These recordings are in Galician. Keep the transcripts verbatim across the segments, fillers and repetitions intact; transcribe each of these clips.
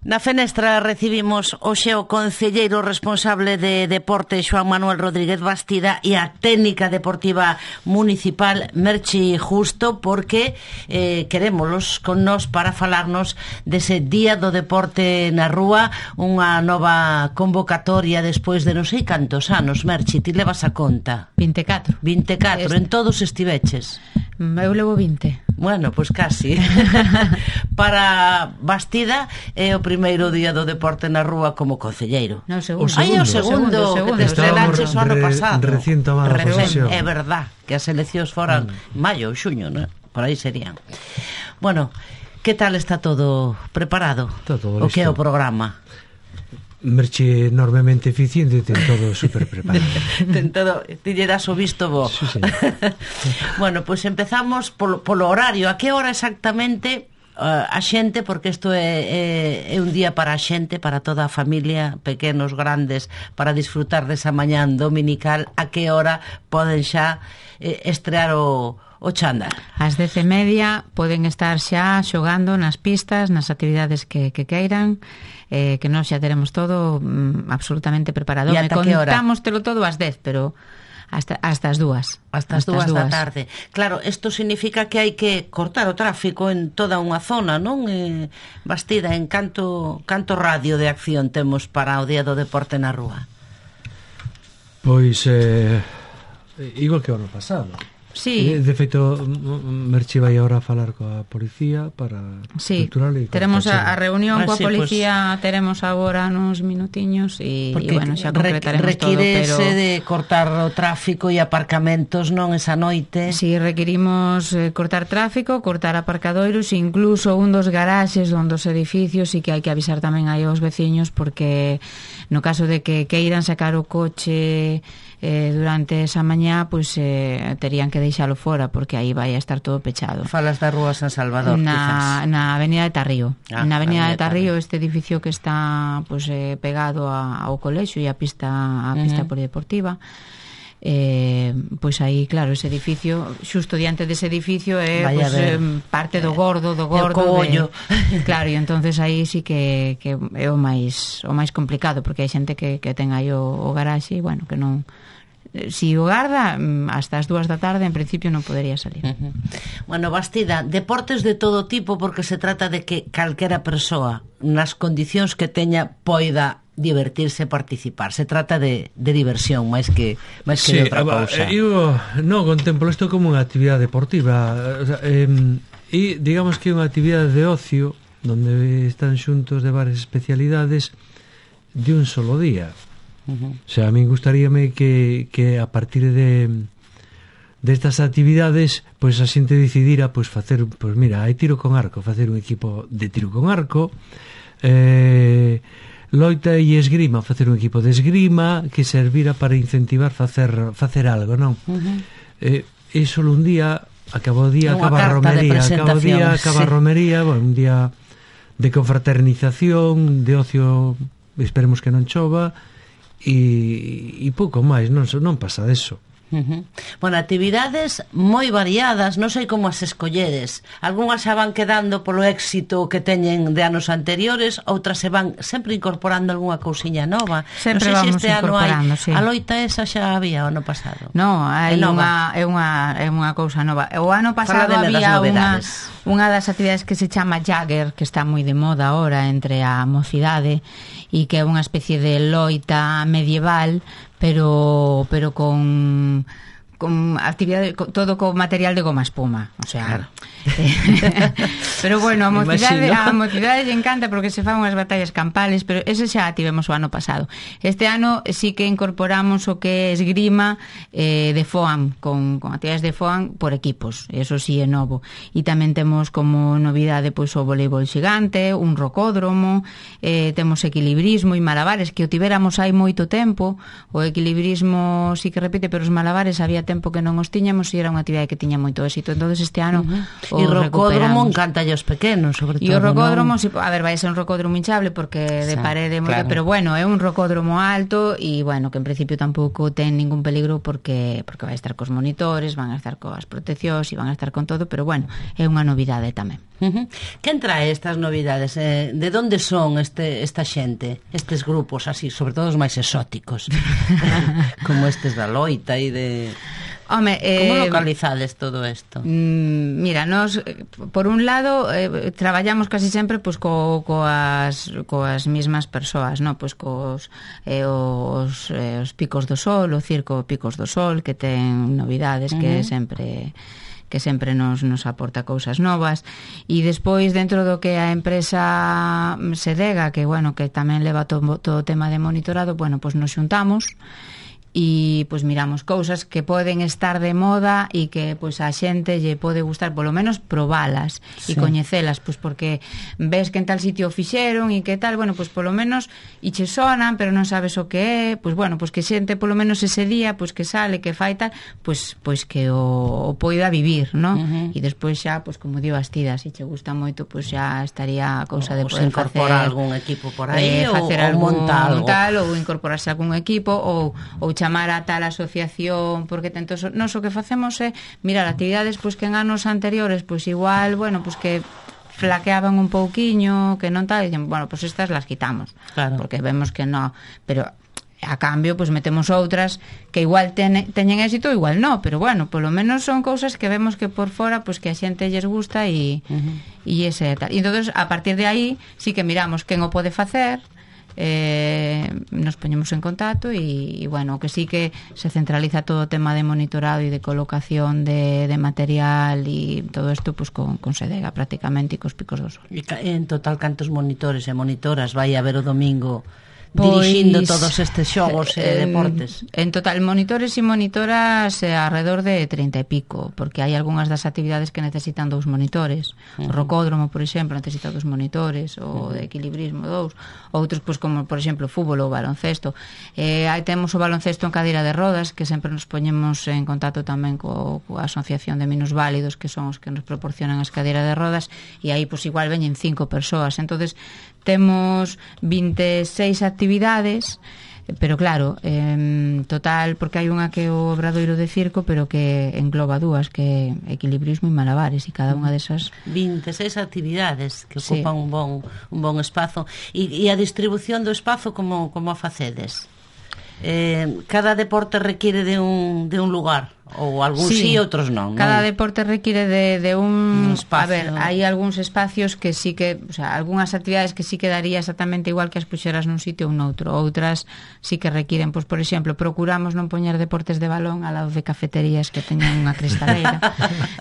Na Fenestra recibimos hoxe o concelleiro responsable de deporte Xoán Manuel Rodríguez Bastida e a técnica deportiva municipal Merchi Justo, porque eh, querémolos con nós para falarnos dese Día do Deporte na Rúa, unha nova convocatoria despois de non sei cantos anos. Merchi, ti levas a conta? vinte e catro. vinte e catro, en todos estiveches? Eu levo vinte. Bueno, pois pues casi. Para Bastida é o primeiro Día do Deporte na Rúa como concelleiro. No, o segundo. Ai, o segundo, segundo, que te estrenaches o ano pasado. Recién tomada a posesión. É verdad, que as eleccións foran mm. maio ou xuño, ¿no? Por aí serían. Bueno, que tal está todo preparado? Todo o que é o programa? Merche enormemente eficiente, ten todo super preparado. Ten todo, ti lle das o visto bo. Sí, sí. Bueno, pois pues empezamos polo, polo horario. A que hora exactamente uh, a xente, porque isto é, é, é un día para a xente, para toda a familia, pequenos, grandes, para disfrutar desa mañán dominical, a que hora poden xa eh, estrear o o chándal? Ás dez e media poden estar xa xogando nas pistas, nas actividades que, que queiran, eh, que nós xa teremos todo mm, absolutamente preparado. Me contamos telo todo ás dez, pero hasta, hasta as dúas. Hasta as dúas da tarde. Claro, isto significa que hai que cortar o tráfico en toda unha zona, non? Eh, Bastida, en canto, canto radio de acción temos para o Día do Deporte na Rúa? Pois, eh, igual que o ano pasado. Sí. De feito, Merchi vai agora a falar coa policía para sí, cultural e teremos a, a reunión ah, coa sí, policía, pues, teremos agora nos minutiños e, e bueno, xa concretaremos todo, pero de cortar o tráfico e aparcamentos, non, esa noite. Si, sí, requirimos eh, cortar tráfico, cortar aparcadoiros, incluso un dos garaxes onde os edificios, e que hai que avisar tamén aí aos veciños, porque no caso de que queiran sacar o coche eh, durante esa mañá, pois pues, eh, terían que deixalo fora, porque aí vai a estar todo pechado. Falas da Rúa San Salvador, na, quizás. Na Avenida de Tarrío. Ah, na Avenida de Tarrío, Tarrío, este edificio que está pues, eh, pegado a, ao colexio e a pista, a pista uh-huh. polideportiva. Eh, pois aí, claro, ese edificio, xusto diante dese edificio é pues, eh, parte do gordo, do gordo de, claro, e entonces aí sí que, que é o máis o máis complicado, porque hai xente que, que ten aí o, o garaxe e, bueno, que non, si o garda hasta as dúas da tarde en principio non podería salir. Uh-huh. Bueno, Bastida, deportes de todo tipo, porque se trata de que calquera persoa nas condicións que teña poida divertirse e participar. Se trata de, de diversión máis que máis que sí, de outra cousa. Eu non contemplo isto como unha actividade deportiva, o sea, eh, e digamos que é unha actividade de ocio donde están xuntos de varias especialidades de un solo día. Uh-huh. O sea, a mí gustaríame que, que a partir de destas actividades, pois pues, a xente decidira pois pues, facer, pois pues, mira, hai tiro con arco, facer un equipo de tiro con arco, eh, loita e esgrima, facer un equipo de esgrima que servira para incentivar facer facer algo, non? Uh-huh. Eh, e solo un día, acaba o día, acaba a romería, acaba o día, acaba a sí. romería, bueno, un día de confraternización, de ocio, esperemos que non chova. E, e pouco máis, non, non pasa deso. Uh-huh. Bueno, actividades moi variadas, non sei como as escolleres. Algúnas xa van quedando polo éxito que teñen de anos anteriores, outras se van sempre incorporando algunha cousiña nova. Sempre non sei vamos se este ano hai, sí. a loita esa xa había o ano pasado. No, hai unha, é unha é unha cousa nova. O ano pasado había unha unha das actividades que se chama Jagger, que está moi de moda ahora entre a mocidade, e que é unha especie de loita medieval, pero pero con con actividade, con, todo con material de goma espuma, o sea, claro. eh, pero bueno, a mocidade, a mocidade lle encanta porque se fan unhas batallas campales, pero ese xa tivemos o ano pasado. Este ano sí que incorporamos o que é esgrima eh, de foam, con, con actividades de foam por equipos, eso sí é novo. E tamén temos como novidade pois o voleibol xigante, un rocódromo, eh, temos equilibrismo e malabares, que o tivéramos hai moito tempo. O equilibrismo sí que repite, pero os malabares había tempo que non os tiñamos e era unha actividade que tiña moito éxito. Entonces este ano uh-huh. o rocódromo encanta aos pequenos, sobre todo. E o rocódromo, si, a ver, vai ser un rocódromo hinchable porque de Sa, parede, claro. Pero bueno, é un rocódromo alto e bueno, que en principio tampouco ten ningún peligro porque porque vai estar cos monitores, van a estar coas proteccións e van a estar con todo, pero bueno, é unha novidade tamén. Uh-huh. Quen trae estas novidades? Eh, de onde son este, esta xente? Estes grupos así, sobre todo os máis exóticos como estes da Loita e de... Home, eh, como localizades todo isto? Mm, mira, nos por un lado eh, traballamos casi sempre pues, co, coas, coas mismas persoas, no? Pues cos eh, os, eh, os Picos do Sol, o Circo Picos do Sol, que ten novidades, uh-huh. que sempre que sempre nos, nos aporta cousas novas, e despois dentro do que a empresa Sedega, que bueno, que tamén leva todo, todo o tema de monitorado, bueno, pues nos xuntamos e pois miramos cousas que poden estar de moda e que pois a xente lle pode gustar, polo menos probalas e sí. coñecelas, pois porque ves que en tal sitio fixeron e que tal, bueno, pois polo menos e che sonan, pero non sabes o que é, pois bueno, pois que xente polo menos ese día, pois que sale, que fai tal, pois pois que o, o poida vivir, ¿no? Uh-huh. E despois xa, pois como dio Bastida, se che gusta moito, pois xa estaría a cousa de poder facer incorporar algún equipo por aí, eh, facer ou, algún ou montar algo tal, ou incorporarse a algún equipo, ou ou chamar a tal asociación, porque tento, nos o que facemos é mirar actividades pois que en anos anteriores pois igual, bueno, pois que flaqueaban un pouquiño, que non tal, e dicen, bueno, pois estas las quitamos, claro. Porque vemos que no, pero a cambio, pois metemos outras que igual ten, teñen éxito, igual no, pero bueno, polo menos son cousas que vemos que por fora, pois que a xente lles gusta e uh-huh. e ese tal. E entonces, a partir de aí, sí que miramos quen o pode facer, eh, nos poñemos en contacto e, e bueno, que sí que se centraliza todo o tema de monitorado e de colocación de, de material e todo isto pues, con, con Sedega prácticamente e cos Picos do Sol. E en total cantos monitores e monitoras vai haber o domingo dirixindo pois, todos estes xogos e eh, deportes? En total, monitores e monitoras eh, alrededor de trinta e pico, porque hai algunhas das actividades que necesitan dous monitores. Uh-huh. O rocódromo, por exemplo, necesita dous monitores, o uh-huh. de equilibrismo dous, outros, pois, como, por exemplo, fútbol ou baloncesto. Eh, aí temos o baloncesto en cadeira de rodas, que sempre nos poñemos en contacto tamén co, coa Asociación de Minusválidos, que son os que nos proporcionan as cadeiras de rodas, e aí, pois, igual veñen cinco persoas. Entonces temos veintiséis actividades, pero claro, en total, porque hai unha que é o obradoiro de circo, pero que engloba dúas, que é equilibrismo e malabares, e cada unha desas veintiséis actividades que ocupan sí. un bon un bon espazo. E, e a distribución do espazo como como a facedes? Eh, cada deporte requiere de un de un lugar, ou algúns sí, sí outros non, non. Cada deporte requiere de, de un, un espacio. A ver, hai algúns espacios que sí que, o sea, algunhas actividades que sí que daría exactamente igual que as puxeras nun sitio ou noutro. Outras sí que requiren, pois, por exemplo, procuramos non poñer deportes de balón ao lado de cafeterías que teñan unha cristaleira.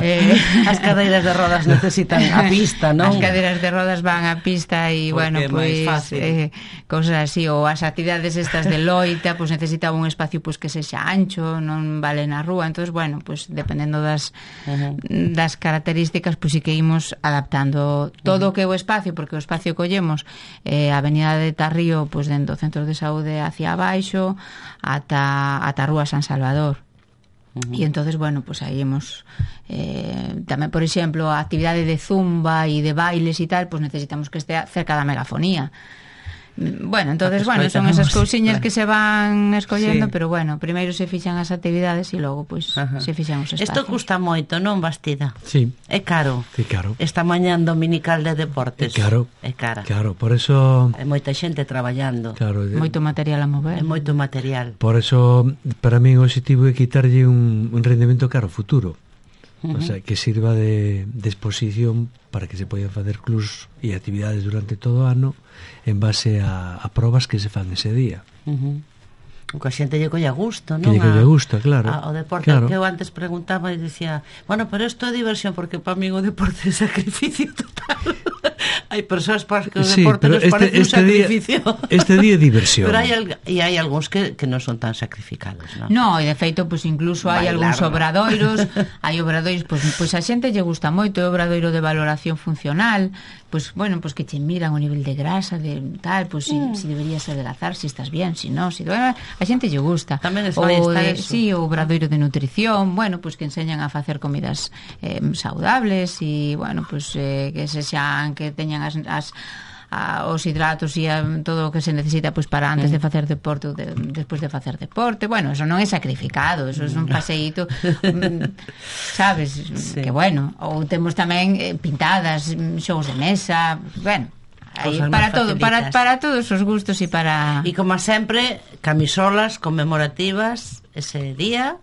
eh, as cadeiras de rodas necesitan a pista, non? As cadeiras de rodas van á pista e, bueno, pois, eh, cosas así, ou as actividades estas de loita, pois necesitaba un espacio pois que sexa ancho, non vale na rúa. Entonces, bueno, pues dependendo das uh-huh. das características, pues sí que imos adaptando todo o uh-huh. que é o espacio, porque o espacio collemos eh, a avenida de Tarrío, pues dentro do centro de saúde hacia abaixo ata ata a Rúa San Salvador. Uh-huh. E entonces, bueno, pues aí hemos eh, tamén, por exemplo, a actividade de zumba e de bailes e tal, pues necesitamos que estea cerca da megafonía. Bueno, entonces, bueno, son esas cousiñas claro. que se van escollendo, sí. pero bueno, primeiro se fixan as actividades e logo, pois, pues, se fixan os espacios. Isto custa moito, non, Bastida? Sí. É caro. Sí, caro. Esta mañán dominical de deportes. É caro. É cara. Claro, por eso... Hai moita xente traballando. Claro. De... Moito material a mover. É moito material. Por eso, para mí, o objetivo é quitarlle un, un rendemento caro futuro. Uh-huh. O sea, que sirva de, de exposición para que se poidan facer clubs e actividades durante todo o ano en base a, a probas que se fan ese día. Uh-huh. O que a xente lle colla gusto, non? Que lle colla gusto, claro. A, o deporte claro. que eu antes preguntaba e dicía, bueno, pero isto é diversión, porque para mí o deporte é sacrificio total. Hai persoas para que o sí, deporte nos este, parece este un sacrificio. Día, este día é diversión. Pero hai, e hai algúns que, que non son tan sacrificados, non? No, e de feito, pues, incluso hai algúns obradoiros, hai obradoiros, pois pues, pues a xente lle gusta moito, o obradoiro de valoración funcional, pois, pues, bueno, pois pues, que che miran o nivel de grasa, de tal, pois, pues, mm. si, si deberías adelgazar, si estás bien, si no, si... Bueno, a xente lle gusta. Tamén o de, sí, o obradoiro de nutrición, bueno, pois pues, que enseñan a facer comidas eh, saudables e, bueno, pois pues, eh, que se xan, que teñan as, as a, os hidratos e a, todo o que se necesita pois, para antes de facer deporte ou de, despois de facer deporte. Bueno, eso non é sacrificado, eso é un paseíto, sabes, sí. Que bueno. Ou temos tamén eh, pintadas, xogos de mesa, bueno, aí, para todo, para, para todos os gustos e para... E como sempre, camisolas conmemorativas ese día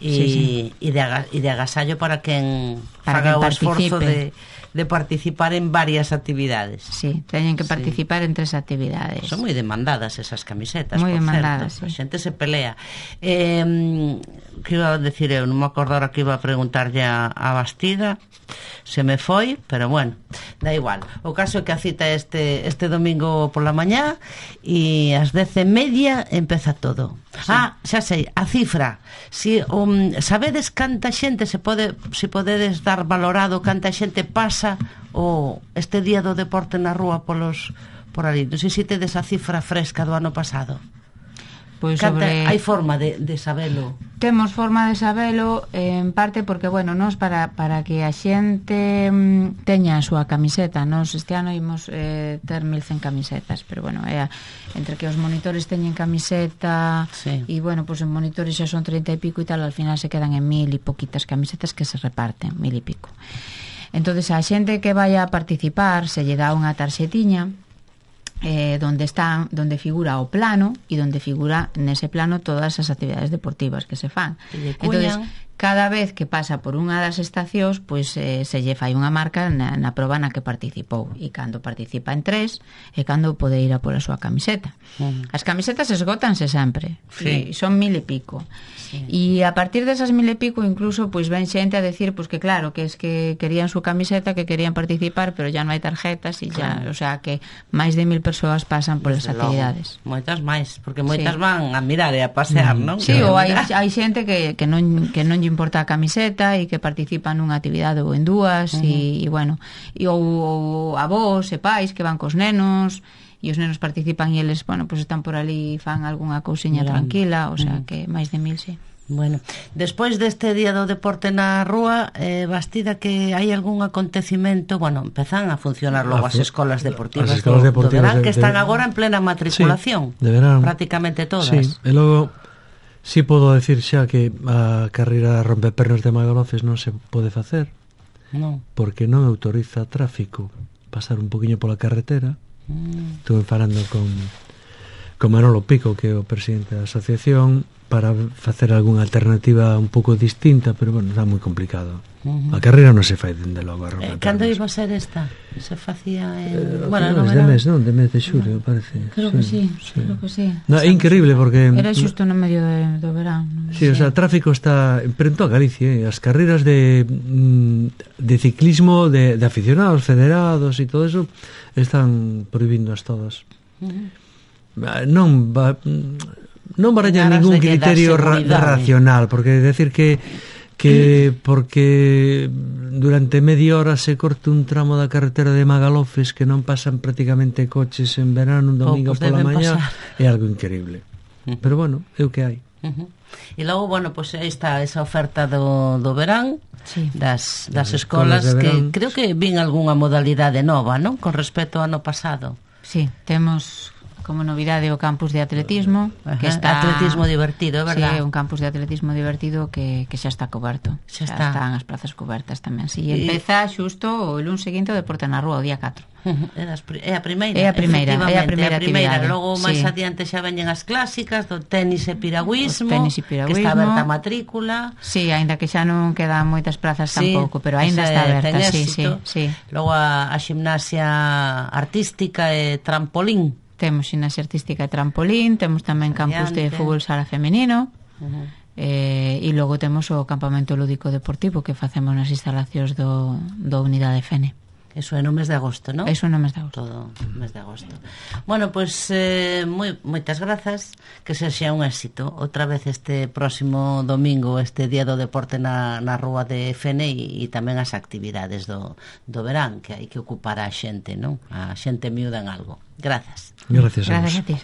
e sí, sí. E de, e de agasallo para quen para faga o esforzo de, de participar en varias actividades. Sí, teñen que participar sí. en tres actividades. Son moi demandadas esas camisetas, moi por demandadas, certo. Sí. A xente se pelea. Eh, que iba a decir eu? Non me acordo ahora que iba a preguntarlle a, a Bastida, se me foi, pero bueno, da igual. O caso é que a cita este este domingo pola mañá e ás dez e media empeza todo. Sí. Ah, xa sei, a cifra. Si um, sabedes canta xente se pode, se podedes dar valorado canta xente pasa o este día do deporte na rúa polos por ali. Non sei se tedes a cifra fresca do ano pasado. Pois sobre... Hai forma de, de sabelo? Temos forma de sabelo, en parte porque, bueno, nos para, para que a xente mm, teña a súa camiseta, nos este ano imos eh, ter mil cen camisetas, pero bueno, é, entre que os monitores teñen camiseta e, sí. bueno, pues en monitores xa son treinta e pico e tal, al final se quedan en mil e poquitas camisetas que se reparten, mil e pico. Entonces a xente que vaya a participar se lle dá unha tarxetiña Eh, donde está, donde figura o plano e donde figura nese plano todas as actividades deportivas que se fan. Entonces, cada vez que pasa por unha das estacións, pois eh, se lle fai unha marca na, na proba na que participou, e cando participa en tres é cando pode ir a pola súa camiseta. Uh-huh. As camisetas esgótanse sempre, sí. E son mil e pico. Sí. E a partir desas mil e pico incluso pois ven xente a decir pois que claro, que es que querían súa camiseta, que querían participar, pero ya non hai tarjetas e ya, claro. O sea que máis de mil persoas pasan polas Desde actividades. Logo. Moitas máis, porque moitas sí. van a mirar e a pasear, mm. non? Sí, ou hai, hai xente que, que non que non lle importa a camiseta e que participan nunha actividade ou en dúas, uh-huh. e, e bueno, e ou, ou avós e pais que van cos nenos e os nenos participan e eles, bueno, pues están por ali e fan algunha cousiña Gran. tranquila, o sea, uh-huh. que máis de mil, sí. Bueno, despois deste día do deporte na rúa, eh, Bastida, que hai algún acontecimento, bueno, empezan a funcionar logo as escolas deportivas, as escolas do, deportivas do verán, de, que están de, agora en plena matriculación, sí, de verán, prácticamente todas. Sí, e logo si sí podo decir xa que a carreira rompepernos de Magalofes non se pode facer, non, porque non autoriza tráfico pasar un poquinho pola carretera. Mm. Estuve falando con con Manolo Pico, que é o presidente da asociación, para facer algunha alternativa un pouco distinta, pero bueno, está moi complicado. Uh-huh. A carreira non se fai dende logo a romper. Eh, cando iba a ser esta? Se facía en... Eh, bueno, non, de era... mes, non? De mes de xulio, no. parece. Creo sí, que sí, sí, creo que sí. No, é increíble porque... Era xusto no medio de, do verán. Sí, sí, o sea, o tráfico está... Pero en toda Galicia, eh? As carreiras de, de ciclismo, de, de aficionados, federados e todo eso, están prohibíndoas todas. Uh-huh. Non va... non baralla ningún criterio ra racional, porque decir que que porque durante media hora se corte un tramo da carretera de Magalofes que non pasan prácticamente coches en verano, un domingo pola mañá, é algo increíble. Uh-huh. Pero bueno, é o que hai. Uh-huh. E logo, bueno, pois pues, aí está esa oferta do, do verán, sí. das, das, das escolas, escolas que creo que vin algunha modalidade nova, non? Con respecto ao ano pasado. Sí, temos como novidade o campus de atletismo. Ajá, que está... atletismo divertido, é verdad? Sí, un campus de atletismo divertido que, que xa está coberto. Xa, xa está. están as plazas cobertas tamén. Si, sí, empeza xusto o luns seguinte o deporte na rúa, o día catro. É a primeira, é a primeira, é a primeira, a primeira. Logo máis sí. adiante xa veñen as clásicas do tenis e piragüismo, tenis e piragüismo, que está aberta a matrícula. Sí, aínda que xa non quedan moitas plazas sí, tampouco, pero aínda está aberta, sí, sí, sí. Logo a, a gimnasia artística e trampolín. Temos gimnasia artística e trampolín, temos tamén campus de fútbol sala femenino. Uh-huh. eh, e logo temos o campamento lúdico deportivo que facemos nas instalacións do, do Unidade Fene. Eso é no mes de agosto, non? Eso é no mes de agosto. Todo no mes de agosto. Bueno, pois pues, eh, moi, moitas grazas, que sexa un éxito outra vez este próximo domingo, este día do deporte na, na rúa de Fene e, e tamén as actividades do, do verán, que hai que ocupar a xente, non? A xente miúda en algo. Grazas. Gracias a vos. Gracias a ti.